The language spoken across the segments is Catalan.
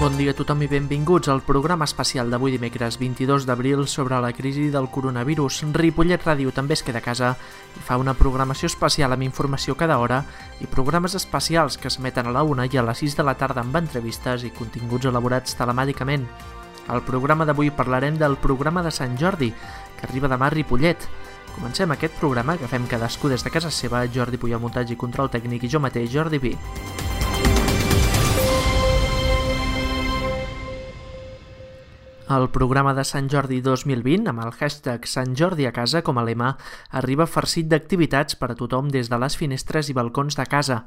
Bon dia a tothom i benvinguts al programa especial d'avui dimecres 22 d'abril sobre la crisi del coronavirus. Ripollet Ràdio també es queda a casa i fa una programació especial amb informació cada hora i programes especials que s'emeten a la 1 i a les 6 de la tarda amb entrevistes i continguts elaborats telemàticament. Al programa d'avui parlarem del programa de Sant Jordi, que arriba demà a Ripollet. Comencem aquest programa que fem cadascú des de casa seva, Jordi Puyol, muntatge i control tècnic, i jo mateix, Jordi Vi. El programa de Sant Jordi 2020, amb el hashtag Sant Jordi a casa com a lema, arriba farcit d'activitats per a tothom des de les finestres i balcons de casa.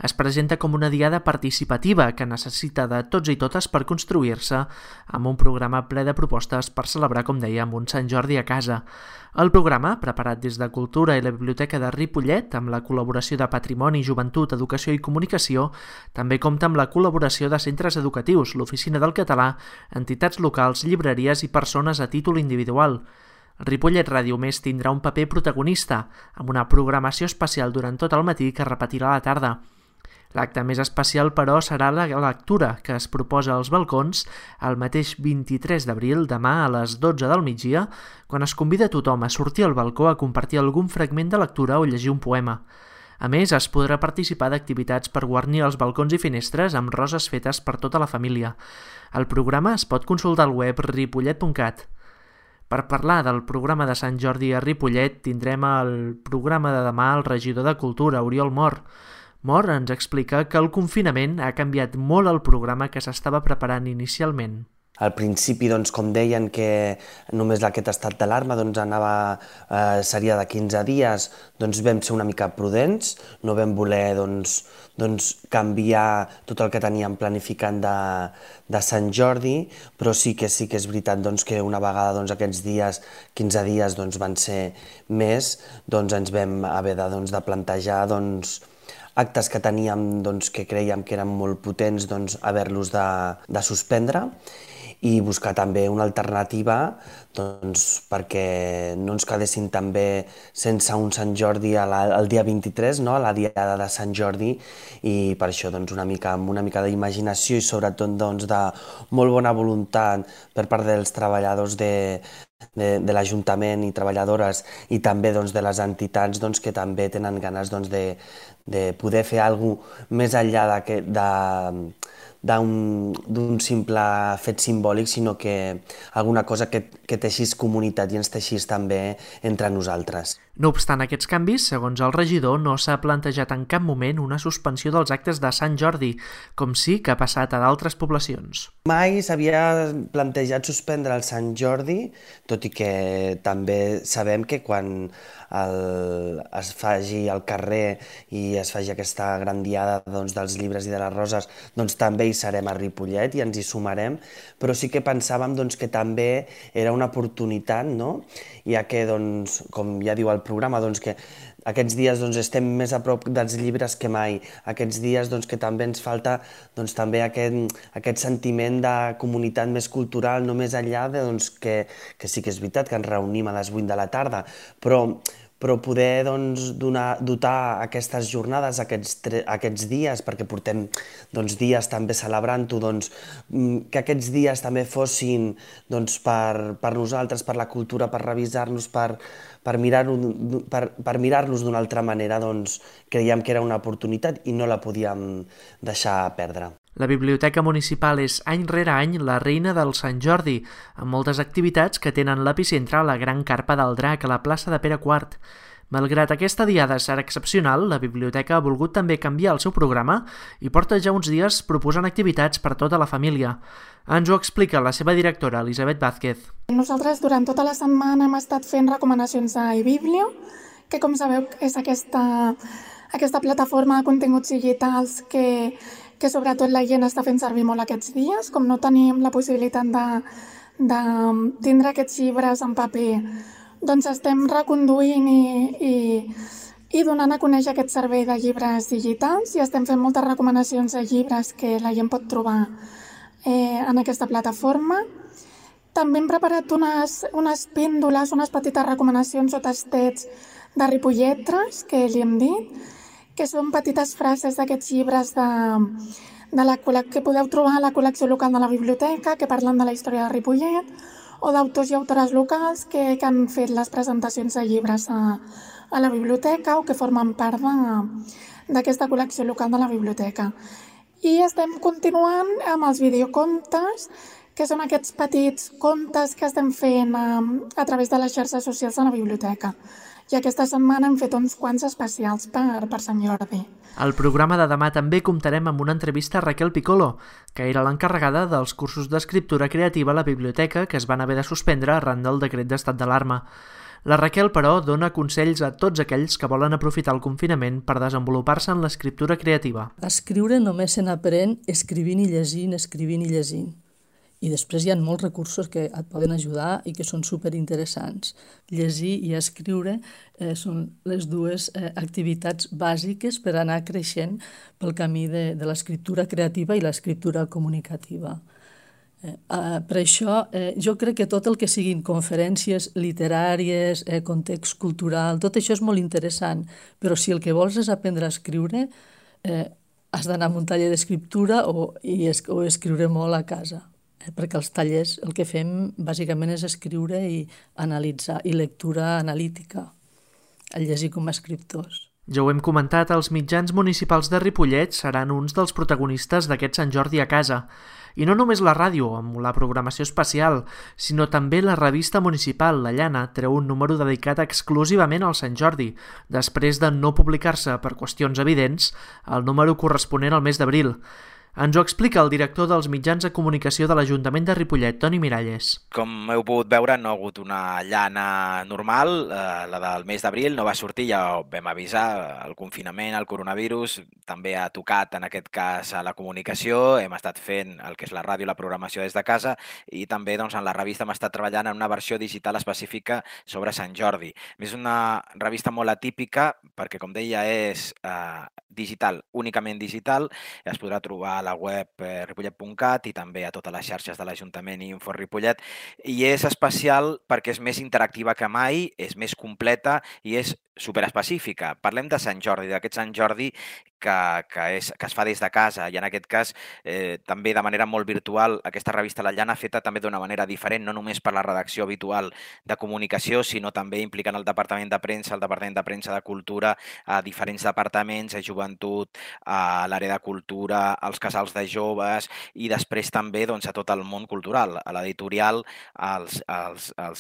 Es presenta com una diada participativa que necessita de tots i totes per construir-se, amb un programa ple de propostes per celebrar, com dèiem, un Sant Jordi a casa. El programa, preparat des de Cultura i la Biblioteca de Ripollet, amb la col·laboració de Patrimoni, Joventut, Educació i Comunicació, també compta amb la col·laboració de centres educatius, l'Oficina del Català, entitats locals, llibreries i persones a títol individual. Ripollet Ràdio Més tindrà un paper protagonista, amb una programació especial durant tot el matí que es repetirà a la tarda. L'acte més especial, però, serà la lectura que es proposa als balcons el mateix 23 d'abril, demà a les 12 del migdia, quan es convida a tothom a sortir al balcó a compartir algun fragment de lectura o llegir un poema. A més, es podrà participar d'activitats per guarnir els balcons i finestres amb roses fetes per tota la família. El programa es pot consultar al web ripollet.cat. Per parlar del programa de Sant Jordi a Ripollet, tindrem el programa de demà el regidor de Cultura, Oriol Mor. Mor ens explica que el confinament ha canviat molt el programa que s'estava preparant inicialment. Al principi, com deien que només aquest estat d'alarma seria de 15 dies, vam ser una mica prudents, no vam voler canviar tot el que teníem planificant de Sant Jordi, però sí que és veritat que una vegada aquests dies, 15 dies van ser més, ens vam haver de plantejar actes que teníem que creiem que eren molt potents, haver-los de suspendre i buscar també una alternativa perquè no ens quedessin també sense un Sant Jordi el dia 23, a la diada de Sant Jordi, i per això amb una mica d'imaginació i sobretot de molt bona voluntat per part dels treballadors de l'Ajuntament i treballadores i també de les entitats que també tenen ganes de poder fer alguna cosa més enllà d'un simple fet simbòlic, sinó que alguna cosa que teixís comunitat i ens teixís també entre nosaltres. No obstant aquests canvis, segons el regidor, no s'ha plantejat en cap moment una suspensió dels actes de Sant Jordi, com sí que ha passat a d'altres poblacions. Mai s'havia plantejat suspendre el Sant Jordi, tot i que també sabem que quan es faci al carrer i es faci aquesta gran diada dels llibres i de les roses, també hi serem a Ripollet i ens hi sumarem, però sí que pensàvem que també era una oportunitat, ja que, com ja diu el programa, que aquests dies estem més a prop dels llibres que mai, aquests dies que també ens falta també aquest sentiment de comunitat més cultural, no més enllà que sí que és veritat que ens reunim a les 8 de la tarda, però poder dotar aquestes jornades, aquests dies, perquè portem dies també celebrant-ho, que aquests dies també fossin per nosaltres, per la cultura, per revisar-nos, per mirar-los d'una altra manera, creiem que era una oportunitat i no la podíem deixar perdre. La Biblioteca Municipal és any rere any la reina del Sant Jordi, amb moltes activitats que tenen l'epicentre a la Gran Carpa del Drac, a la plaça de Pere IV. Malgrat aquesta diada serà excepcional, la Biblioteca ha volgut també canviar el seu programa i porta ja uns dies proposant activitats per a tota la família. Ens ho explica la seva directora, Elisabet Vázquez. Nosaltres durant tota la setmana hem estat fent recomanacions a eBiblio, que com sabeu és aquesta plataforma de continguts digitals que sobretot la gent està fent servir molt aquests dies. Com no tenim la possibilitat de tindre aquests llibres en paper, estem reconduint i donant a conèixer aquest servei de llibres digitals i estem fent moltes recomanacions de llibres que la gent pot trobar en aquesta plataforma. També hem preparat unes píndoles, unes petites recomanacions o tastets de Ripolletres, que li hem dit, que són petites frases d'aquests llibres que podeu trobar a la col·lecció local de la biblioteca, que parlen de la història de Ripollet, o d'autors i autores locals que han fet les presentacions de llibres a la biblioteca o que formen part d'aquesta col·lecció local de la biblioteca. I estem continuant amb els videocontes, que són aquests petits contes que estem fent a través de les xarxes socials de la biblioteca. I aquesta setmana hem fet uns quants especials per Sant Jordi. Al programa de demà també comptarem amb una entrevista a Raquel Piccolo, que era l'encarregada dels cursos d'escriptura creativa a la biblioteca que es van haver de suspendre arran del decret d'estat d'alarma. La Raquel, però, dona consells a tots aquells que volen aprofitar el confinament per desenvolupar-se en l'escriptura creativa. Escriure només se n'aprèn escrivint i llegint. I després hi ha molts recursos que et poden ajudar i que són superinteressants. Llegir i escriure són les dues activitats bàsiques per anar creixent pel camí de l'escriptura creativa i l'escriptura comunicativa. Per això jo crec que tot el que siguin conferències literàries, context cultural, tot això és molt interessant, però si el que vols és aprendre a escriure, has d'anar a un taller d'escriptura o escriure molt a casa. Perquè els tallers el que fem bàsicament és escriure i analitzar, i lectura analítica, el llegir com a escriptors. Ja ho hem comentat, els mitjans municipals de Ripollet seran uns dels protagonistes d'aquest Sant Jordi a casa. I no només la ràdio, amb la programació especial, sinó també la revista municipal, La Llana, treu un número dedicat exclusivament al Sant Jordi, després de no publicar-se, per qüestions evidents, el número corresponent al mes d'abril. Ens ho explica el director dels mitjans de comunicació de l'Ajuntament de Ripollet, Toni Miralles. Com heu pogut veure, no ha hagut una llana normal, la del mes d'abril no va sortir, ja ho vam avisar, el confinament, el coronavirus, també ha tocat en aquest cas a la comunicació, hem estat fent el que és la ràdio i la programació des de casa i també en la revista hem estat treballant en una versió digital específica sobre Sant Jordi. És una revista molt atípica perquè, com deia, és digital, únicament digital, es podrà trobar a la web ripollet.cat i també a totes les xarxes de l'Ajuntament i Info Ripollet, i és especial perquè és més interactiva que mai, és més completa i és superespecífica. Parlem de Sant Jordi, d'aquest Sant Jordi que es fa des de casa i en aquest cas també de manera molt virtual. Aquesta revista La Llana feta també d'una manera diferent, no només per la redacció habitual de comunicació, sinó també implicant el Departament de Premsa, el Departament de Premsa de Cultura, a diferents departaments, a Joventut, a l'àrea de Cultura, als casals de joves i després també a tot el món cultural, a l'editorial, als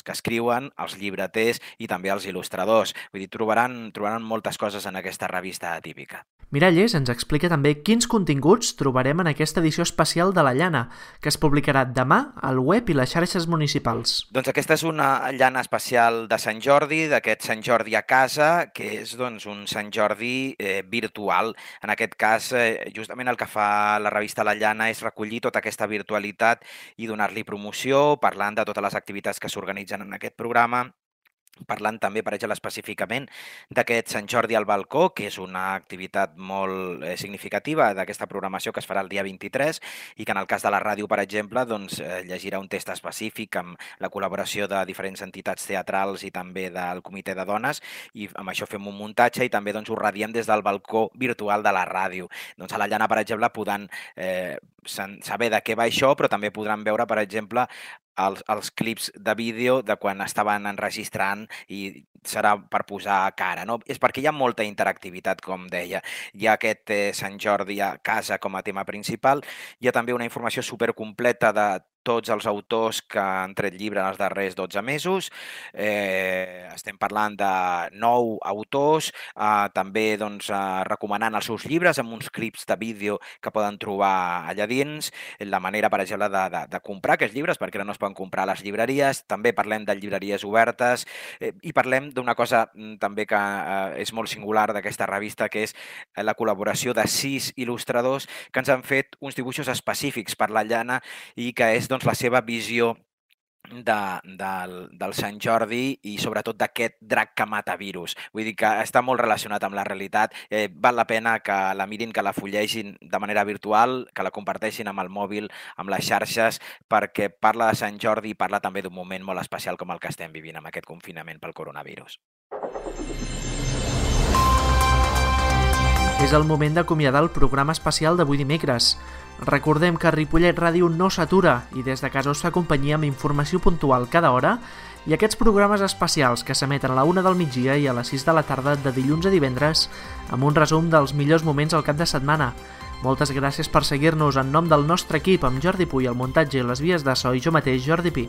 que escriuen, als llibreters i també als il·lustradors. Vull dir, trobaran moltes coses en aquesta revista atípica. Miralles ens explica també quins continguts trobarem en aquesta edició especial de La Llana, que es publicarà demà al web i les xarxes municipals. Doncs aquesta és una llana especial de Sant Jordi, d'aquest Sant Jordi a casa, que és un Sant Jordi virtual. En aquest cas, justament el que fa la revista La Llana és recollir tota aquesta virtualitat i donar-li promoció, parlant de totes les activitats que s'organitzen en aquest programa, parlant també, per exemple, específicament d'aquest Sant Jordi al balcó, que és una activitat molt significativa d'aquesta programació que es farà el dia 23 i que en el cas de la ràdio, per exemple, llegirà un text específic amb la col·laboració de diferents entitats teatrals i també del comitè de dones, i amb això fem un muntatge i també ho radiem des del balcó virtual de la ràdio. A la Llana, per exemple, podran saber de què va això, però també podran veure, per exemple, els clips de vídeo de quan estaven enregistrant i serà per posar cara, no? És perquè hi ha molta interactivitat, com deia. Hi ha aquest Sant Jordi a casa com a tema principal. Hi ha també una informació supercompleta de tots els autors que han tret llibre en els darrers 12 mesos. Estem parlant de 9 autors, també recomanant els seus llibres amb uns clips de vídeo que poden trobar allà dins, la manera, per exemple, de comprar aquests llibres, perquè ara no es poden comprar a les llibreries. També parlem de llibreries obertes i parlem d'una cosa també que és molt singular d'aquesta revista, que és la col·laboració de 6 il·lustradors que ens han fet uns dibuixos específics per la llana i que és la seva visió del Sant Jordi i sobretot d'aquest drac que mata virus. Vull dir que està molt relacionat amb la realitat. Val la pena que la mirin, que la fullegin de manera virtual, que la comparteixin amb el mòbil, amb les xarxes, perquè parla de Sant Jordi i parla també d'un moment molt especial com el que estem vivint amb aquest confinament pel coronavirus. És el moment d'acomiadar el programa especial d'avui dimecres. Recordem que Ripollet Ràdio no s'atura i des de casa us fa companyia amb informació puntual cada hora i aquests programes especials que s'emeten a la 1 del migdia i a les 6 de la tarda de dilluns a divendres amb un resum dels millors moments al cap de setmana. Moltes gràcies per seguir-nos en nom del nostre equip amb Jordi Puy al muntatge i les vies de so i jo mateix, Jordi Pi.